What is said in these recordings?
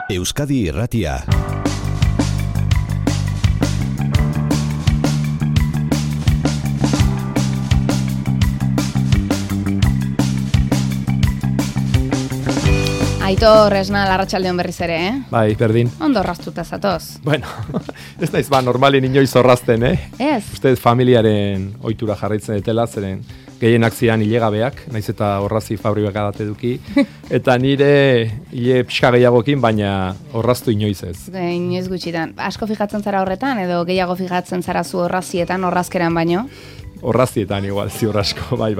Euskadi Irratia. Aitor Esnal, arratsaldeon berriz ere, Bai, berdin. Ondo orraztuta zatoz. Bueno, ez naiz normalen inoiz orrazten, Ez. Uste familiaren ohitura jarraitzen dutela, zeren gehienak zian hilegabeak, naiz eta orrazi fabrika bat eduki, eta nire hile pixka gehiagokin, baina orraztu inoiz ez. Inoiz gutxitan. Asko fijatzen zara horretan, edo gehiago fijatzen zara zu orrazietan, orrazkeran baino? Orrazietan igual, ziur asko, bai.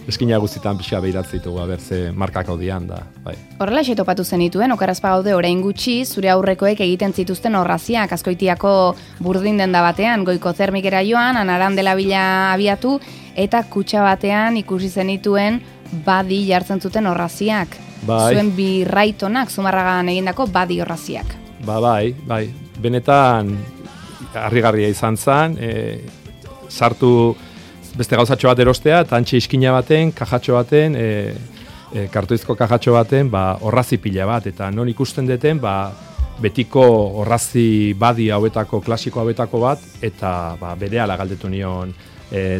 Eskina guztietan pixka behiratzen ditugu, ze markako dian da, bai. Horrela topatu zenituen, okarazpa gaude orain gutxi, zure aurrekoek egiten zituzten orraziak, Azkoitiako burdin denda batean, goiko termikera joan, Anaran dela bila abiatu, eta kutxa batean ikusi zenituen badi jartzen zuten orraziak. Bai. Zuen birraitonak, Zumarragan egindako badi orraziak. Bai. Benetan, harrigarria izan zen, sartu beste gauzatxo bat erostea, eta antxe iskina baten, kajatxo baten, kartoizko kajatxo baten, orrazi pila bat, eta non ikusten deten, betiko orrazi badi hauetako, klasiko hauetako bat, eta berehala galdetu nion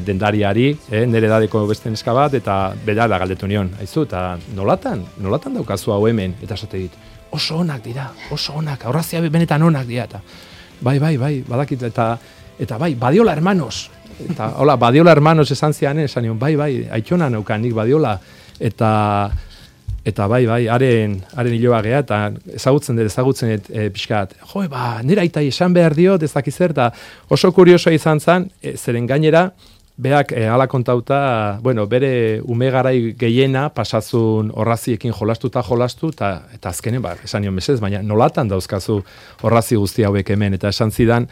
dendariari, nire edadeko beste neska bat, eta berehala galdetu nion, aizu, eta nolatan daukazu hau hemen, eta esate dit, oso onak dira, oso onak, orrazia benetan onak dira, eta bai, badakit, eta bai, Badiola hermanos, eta hola, Badiola hermanos esan zianen, esan nion, bai, aitona naukan nik Badiola, eta bai, haren hiloa gea, eta ezagutzen pixkat, nire aitai esan behar diot, ez dakiz zer, eta oso kuriosoa izan zen, zeren gainera, beak ala kontauta, bere ume garai gehiena pasazun orraziekin jolastu, eta azkenen, esan nion mesez, baina nolatan dauzkazu orrazi guzti hauek hemen, eta esan zidan,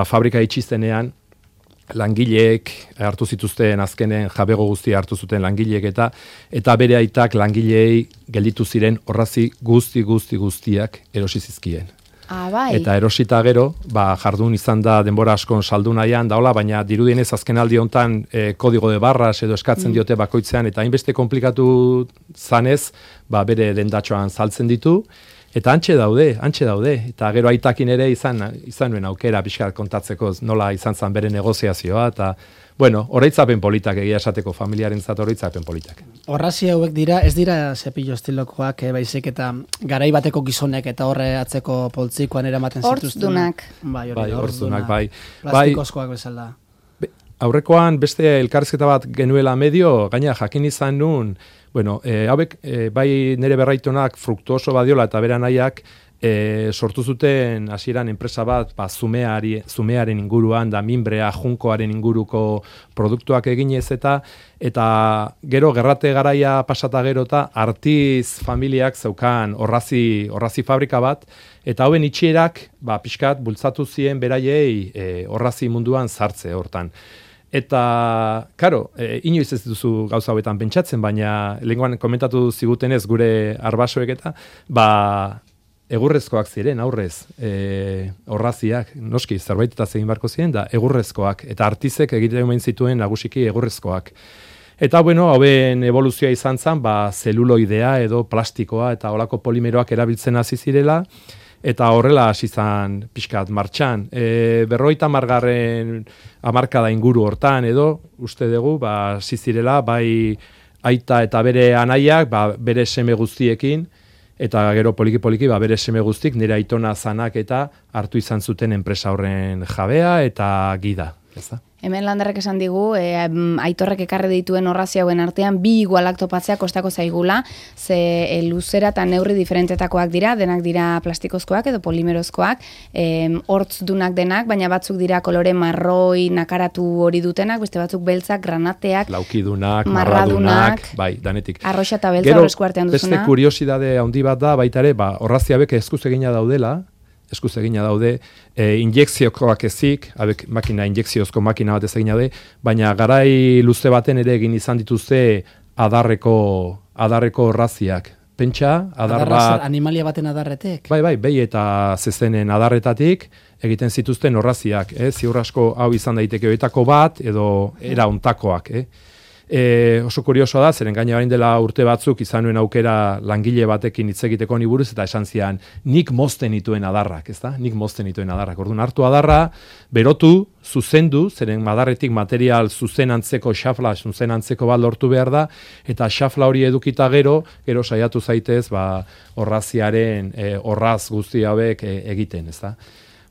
fabrika itxistenean, langileek hartu zituzten azkenen jabego guztia hartu zuten langileek eta bere aitak langileei gelditu ziren orrazi guztiak erosi zizkien. Bai. Eta erosita gero, jardun izan da denbora askon saldu nahian daola, baina dirudienez azkenaldi hontan kodigo de barras edo eskatzen diote bakoitzean, eta hainbeste komplikatu zanez, bere dendatxoan saltzen ditu, eta antxe daude, eta gero aitakin ere izan nuen aukera pixkat kontatzeko nola izan zen bere negoziazioa, eta, oroitzapen politak egia esateko familiaren zat oroitzapen politak. Orrazi hauek dira, ez dira zepillo estilokoak, baizik eta garai bateko gizonek eta horre atzeko poltsikoan eramaten zituzten. Hortzdunak. Bai. Plastikozkoak bezala. Aurrekoan beste elkarrizketa bat genuela medio, gaina jakin izan nun, hauek, bai nire berraitonak Fruktuoso Badiola eta bera nahiak sortu zuten hasieran enpresa bat zumearen inguruan, da minbrea, junkoaren inguruko produktuak eginez eta gero gerrate garaia pasata gero eta Artiz familiak zeukan orrazi fabrika bat, eta hauen itxierak pixkat bultzatu zien beraiei orrazi munduan sartze hortan. Eta, karo, inoiz ez duzu gauza hauetan pentsatzen, baina lehenkoan komentatu zigutenez gure arbasoek eta, egurrezkoak ziren, aurrez, orraziak, noski, zerbait eta zegin barko ziren, da egurrezkoak, eta Artizek egiten omen zituen nagusiki egurrezkoak. Eta, hauen evoluzioa izan zen, zeluloidea edo plastikoa eta olako polimeroak erabiltzen hasi zirela, eta horrela hasi zan pixkat martxan. 50. hamarkada inguru hortan edo, uste dugu, hasi zirela, bai aita eta bere anaiak, bere seme guztiekin, eta gero poliki bere seme guztik, nire aitona zanak eta hartu izan zuten enpresa horren jabea eta gida. Hemen Landarrek esan digu, Aitorrek ekarri dituen orrazi hauen artean, bi igualak topatzea kostako zaigula, ze luzera eta neurri diferentetakoak dira, denak dira plastikozkoak edo polimerozkoak, hortzdunak denak, baina batzuk dira kolore marroi, nakaratu hori dutenak, beste batzuk beltzak, granateak, laukidunak, marradunak, bai, danetik. Arroxa eta beltza horrezko artean duzuna. Beste kuriosidade handi bat da, baita ere, orrazi hauek eskuz egina daude, injekziokoak ezik, makina, injekziozko makina bat ez egina daude, baina garai luze baten ere egin izan dituzte adarreko orraziak. Pentsa, adar bat... Animalia baten adarretek? Bai, behi eta zezenen adarretatik egiten zituzten orraziak. Ziur asko hau izan daiteke oetako bat, edo era ontakoak. oso kuriosoa da, zeren gaina orain dela urte batzuk izan nuen aukera langile batekin hitz egiteko ni buruz eta esan zian, nik mozten dituen adarrak, ezta? Nik mozten dituen adarrak. Orduan hartu adarra, berotu, zuzendu, zeren adarretik material zuzen antzeko xafla, zuzen antzeko bat lortu behar da, eta xafla hori edukita gero saiatu zaitez, orraziaren orraz guzti hauek egiten, ezta?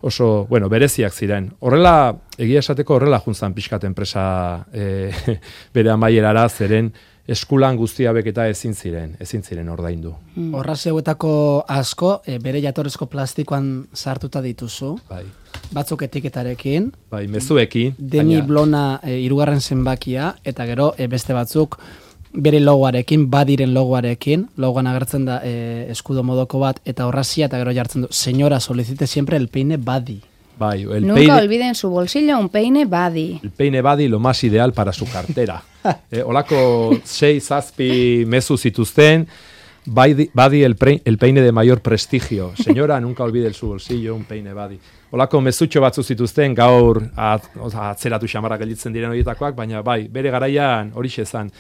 Oso, bereziak ziren. Horrela, egia esateko horrela juntzan pixkat enpresa bere amaierara, zeren eskulan guzti hauek eta ezin ziren ordaindu. Orrazi hauetako asko, bere jatorrezko plastikoan sartuta dituzu. Bai. Batzuk etiketarekin. Bai, mezuekin. Deni Blona 3. zenbakia, eta gero beste batzuk bere logoarekin, badiren logoarekin, logoan agertzen da eskudo modoko bat, eta orrazia, eta gero jartzen du, señora, solicite siempre el peine badi. Bai, Nunca olviden su bolsillo un peine badi. El peine badi lo más ideal para su cartera. Olako 6-7 mezu zituzten, badi el peine de mayor prestigio. Señora, nunca olvide su bolsillo un peine badi. Olako mezutxo batzu zituzten, gaur atzeratu xamarrak gelditzen diren horietakoak, baina bai, bere garaian horixe zan.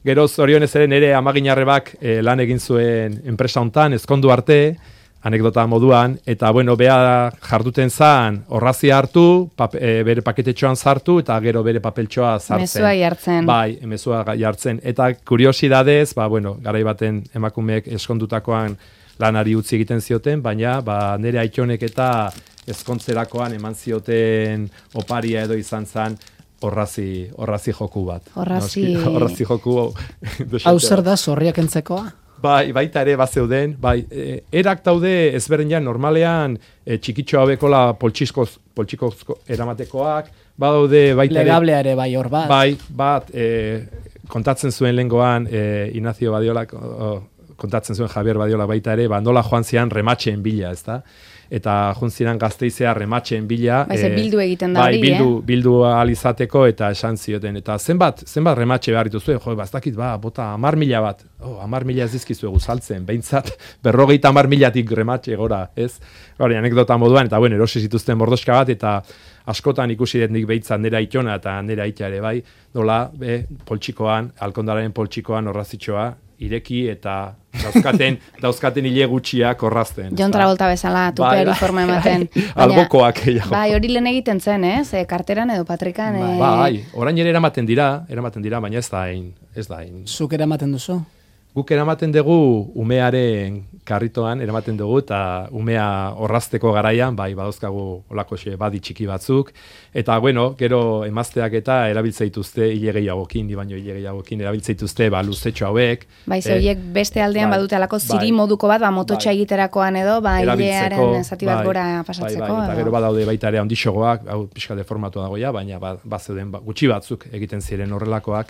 Gero zorionez ere nire amaginarrebak lan egin zuen enpresa hontan, ezkondu arte, anekdota moduan, eta bea jarduten zan, orrazia hartu, bere paketetxoan sartu, eta gero bere papeltxoa sartzen. Mezua jartzen. Bai, mezua jartzen. Eta kuriosidadez, garai baten emakumeek eskondutakoan lanari utzi egiten zioten, baina nire aitonek eta ezkontzerakoan eman zioten oparia edo izan zan, Orrazi joku bat. Orrazi joku. Hau zer da, zorriak entzekoa? Bai, baita ere bazeuden, erak daude ezberdinak normalean txikitxo hauekola poltsikoz eramatekoak, badaude baita ere... Legablea ere bai hor bat. Bai, kontatzen zuen lehengoan Ignacio Badiola, kontatzen zuen Javier Badiola baita ere, nola joan zian rematxeen bila, ezta? Eta juntziran Gasteizea rematxeen bila. Bildu egiten da hori, bildu alizateko eta esan zioten. Eta zenbat rematxe behar dituzue, ez dakit, bota 10.000 bat. 10.000 ez dizkizuegu saltzen, behintzat 50.000 rematxe gora, ez? Hori, anekdota moduan, eta erosi zituzten bordoska bat, eta askotan ikusi dut nik behintzat nera itona eta nera ita ere bai, nola, poltsikoan, Alkondararen poltsikoan orrazitxoa, ireki eta dauzkaten hile gutxiak orrazten. John Travolta bezala, tupeari forma ematen. Albokoak. Bai, hori lehen egiten zen, ez? Karteran edo patrikan. Bai, orain ere eramaten dira, baina ez da hain. Zuk eramaten duzu? Guk eramaten dugu umearen karritoan, eramaten dugu, eta umea orrazteko garaian, badauzkagu olako badi txiki batzuk, eta gero emazteak eta erabiltzeituzte hile gehiagokin, baino hile gehiagokin erabiltzeituzte luzetxo hauek. Bai, horiek beste aldean badute alako ziri moduko bat, mototxa egiterakoan edo, hilearen zati bat gora pasatzeko. Eta gero badaude baita ere handixogoak, hau pixka deformatu dagoia, baina bazeuden gutxi batzuk egiten ziren horrelakoak.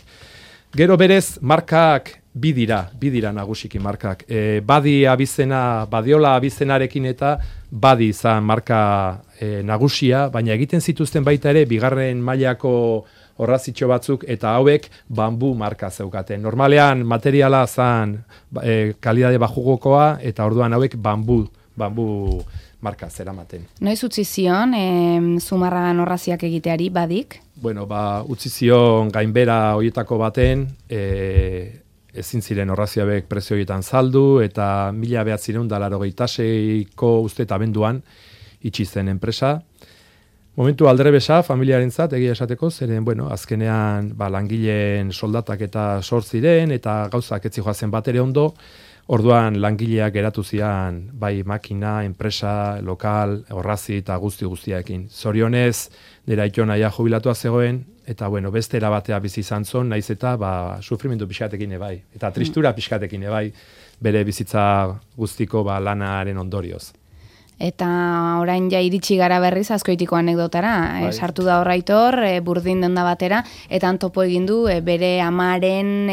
Gero berez, markak bi dira nagusiki markak. Badiola abizenarekin eta badi izan marka nagusia, baina egiten zituzten baita ere, bigarren mailako orrazitxo batzuk, eta hauek bambu marka zeukaten. Normalean materiala zan kalidade bajugokoa, eta orduan hauek bambu marka zeramaten. Noiz utzi zion, Zumarragan orraziak egiteari badik? Utzi zion gainbera horietako baten, ezin ziren orraziabek prezio horietan saldu, eta 1986ko uste eta abenduan itxi zen enpresa. Momentu aldrebesa, familiarentzat egia esateko, zeren, azkenean langileen soldatak eta sortziren, eta gauzak etzi joazen bat ere ondo, orduan langileak geratu zian, makina, enpresa, lokal, orrazi eta guztiaekin. Zorionez, nera itona jubilatua zegoen, eta beste erabatea bizi izan zon, naiz eta sufrimendu pixkatekin ebai, eta tristura pixkatekin ebai, bere bizitza guztiko lanaren ondorioz. Eta orain ja iritsi gara berriz Azkoitiko anekdotara, sartu da Horraitor, burdin denda batera, eta topo egin du bere amaren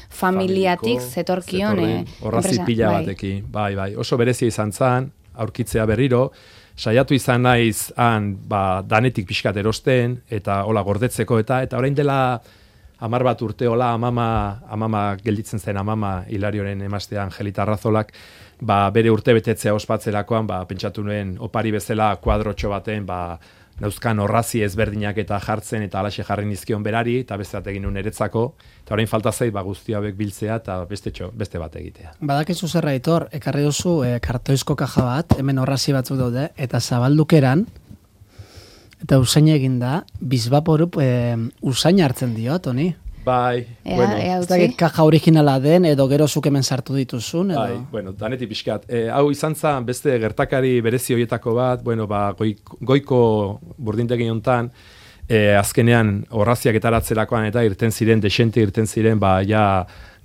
familiatik zetorkion. Horrazi pila batekin, bai, oso berezia izan zan, aurkitzea berriro, saiatu izan naiz danetik pixkat erosten, eta hola gordetzeko, eta orain dela 10 bat urte hola amama gelditzen zen amama Hilarioren emaztea Angelita Arrazolak, bere urte betetzea ospatzerakoan, pentsatu nuen opari bezala kuadrotxo baten, neuzkan horrazi ezberdinak eta jartzen, eta alaxe jarri nizkion berari, eta beste bat egin eretzako, eta orain falta zait, guzti hauek biltzea, eta beste bat egitea. Badakizu zer Aitor, ekarri duzu kartoizko kaja bat, hemen horrazi batzuk daude, eta zabaldukeran, eta usain egin da, bizbaporup usain hartzen dio, Toni? Bai, ez dakit kaja originala den, edo gero zuk hemen sartu dituzun, edo? Bai, bueno, danetik pixkat. Hau izan zen beste gertakari berezi horietako bat, goiko burdintegi hontan, azkenean horraziak etaratzerakoan eta irten ziren, desente irten ziren,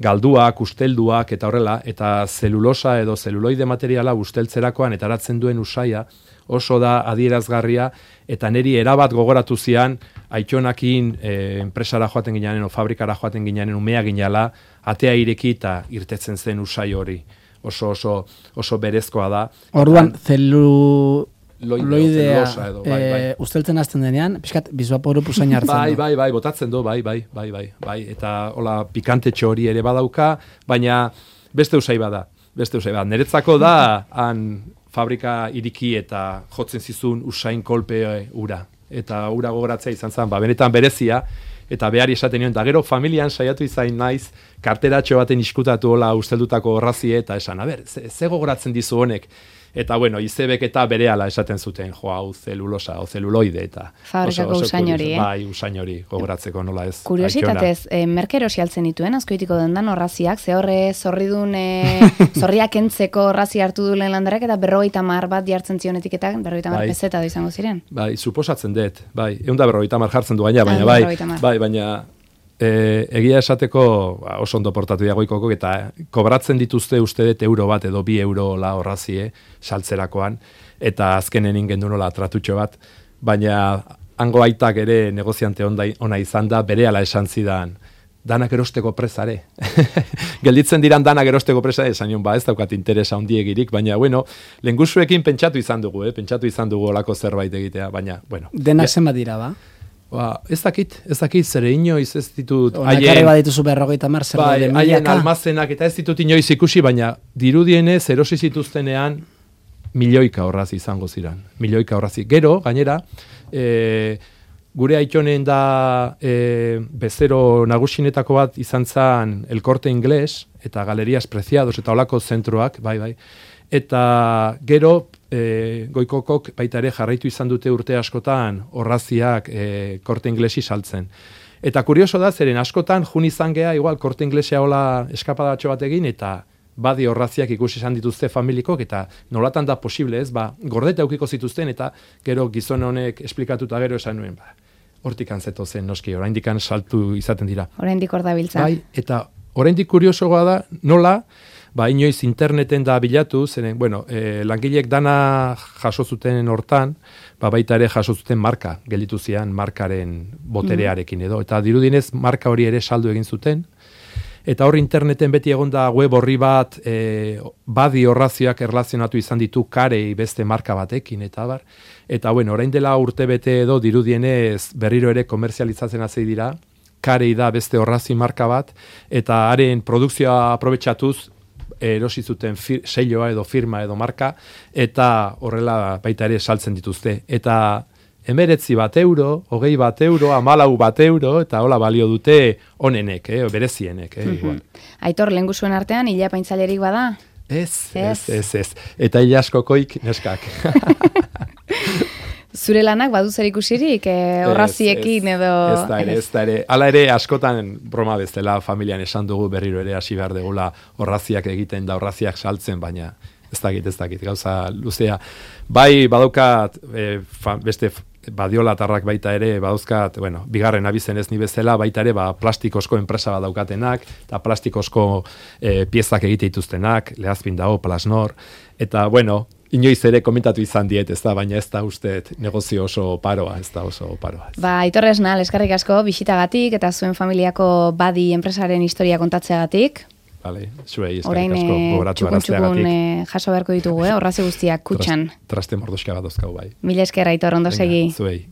galduak, ustelduak eta horrela, eta zelulosa edo zeluloide materiala usteltzerakoan etaratzen duen usaia, oso da adierazgarria, eta niri erabat gogoratu zian, Aitonakin enpresara joaten ginean, o fabrikara joaten ginean, umea ginala, atea ireki eta irtetzen zen usai hori. Oso berezkoa da. Orduan, zeluloidea usteltzen hasten denean, pixkat, bizbaporup usain hartzen du. Bai, botatzen du, bai. Eta hola pikantetxo hori ere badauka, baina beste usai bada. Niretzako da, han fabrika iriki eta jotzen zizun usain kolpe ura. Eta ura gogoratzea izan zen, benetan berezia, eta behar esaten nion, eta gero familian saiatu izain naiz, karteratxo baten iskutatu hola usteldutako horrazie, eta esan, ze gogoratzen dizu honek? Eta bueno, izebek eta berehala esaten zuten, hau zelulosa, o zeluloide, eta fabrikako usain hori, Bai, usain hori, gogoratzeko nola ez. Kuriositatez, merkero sialtzen dituen, azkoitiko dendan horraziak, ze horre zorridun, zorriak entzeko horrazi hartu du lehen landarak, eta 50 bat jartzen zion etiketak, 50 peseta da izango ziren. Bai, suposatzen dut, bai, 150 jartzen du baina, baina, egia esateko oso ondo portatu goikoko, eta kobratzen dituzte uste dut euro bat edo 2 euro la horrazie saltzerakoan, eta azkenen ingen du nola tratutxo bat, baina hango aitak ere negoziante ona izan da, berehala esan zidan, danak erosteko presare. Gelditzen diran danak erosteko presare, esan nion, ez daukat interesa ondiegirik, baina, bueno, lengusuekin pentsatu izan dugu olako zerbait egitea, baina, bueno. Denak zenbat dira, ba? Ez dakit, zere inoiz ez ditut... Onak badituzu 50 zerbait milaka. Haien almazenak eta ez ditut inoiz ikusi, baina dirudienez erosi zituztenean milioika horrazi izango ziren. Milioika horrazi. Gero, gainera, gure aitonen da bezero nagusinetako bat izan zen El Corte Inglés eta Galerías Preciados eta olako zentroak, bai. Eta gero, goikokok baita ere jarraitu izan dute urte askotan horraziak Korte Inglesi saltzen. Eta kurioso da, zeren askotan jun izan gea, igual Korte Inglesea hola eskapadatxo bat egin, eta badi horraziak ikusi izan dituzte familikok, eta nolatan da posible ez, gordeta eukiko zituzten, eta gero gizon honek esplikatuta gero esan nuen, hortik antzeto zen noski, oraindik saltu izaten dira. Oraindik hor da biltza. Bai, eta oraindik kuriosoa da, nola, inoiz interneten da bilatu, zeren, langilek dana jaso zuten hortan, baita ere jaso zuten marka, gelditu zian markaren boterearekin edo, eta dirudinez marka hori ere saldu egin zuten, eta hor interneten beti egonda web horri bat, badi horrazioak erlazionatu izan ditu karei beste marka batekin, eta orain dela urte bete edo dirudienez berriro ere komerzializatzen hasi dira, karei da beste horrazi marka bat, eta haren produkzioa aprobetxatuz, erosi zuten selloa edo firma edo marka, eta horrela baita ere saltzen dituzte. Eta 19 euro, 20 euro, 14 euro, eta hola balio dute onenek, berezienek. Igual. Aitor, lehengusuen artean, hila paintzalerik bada? Ez. Eta hila askokoik neskak. Zure lanak badu zer ikusirik, horraziekin edo... Ez da ere. Hala ere, askotan broma bezala familian esan dugu berriro ere hasi behar degula horraziak egiten da horraziak saltzen, baina ez dakit, gauza luzea. Bai, badaukat, beste badiolatarrak baita ere, badauzkat, bigarren abizen ez ni bezala, baita ere, plastikosko enpresa badaukatenak, eta plastikosko piezak egite dituztenak, Lehazpin dago, Plasnor, eta, inoiz ere komentatu izan diet, ez da, baina ez da uste negozio oso paroa. Aitor Esnal, eskerrik asko, bisitagatik, eta zuen familiako badi enpresaren historia kontatzeagatik. Vale, zuei, eskerrik asko, gogoratu arazteagatik. Orain jaso beharko ditugu, horrazi guztiak, kutxan. Traste mordoska bat dozkau, bai. Mila esker, Aitor, ondo segi. Zuei.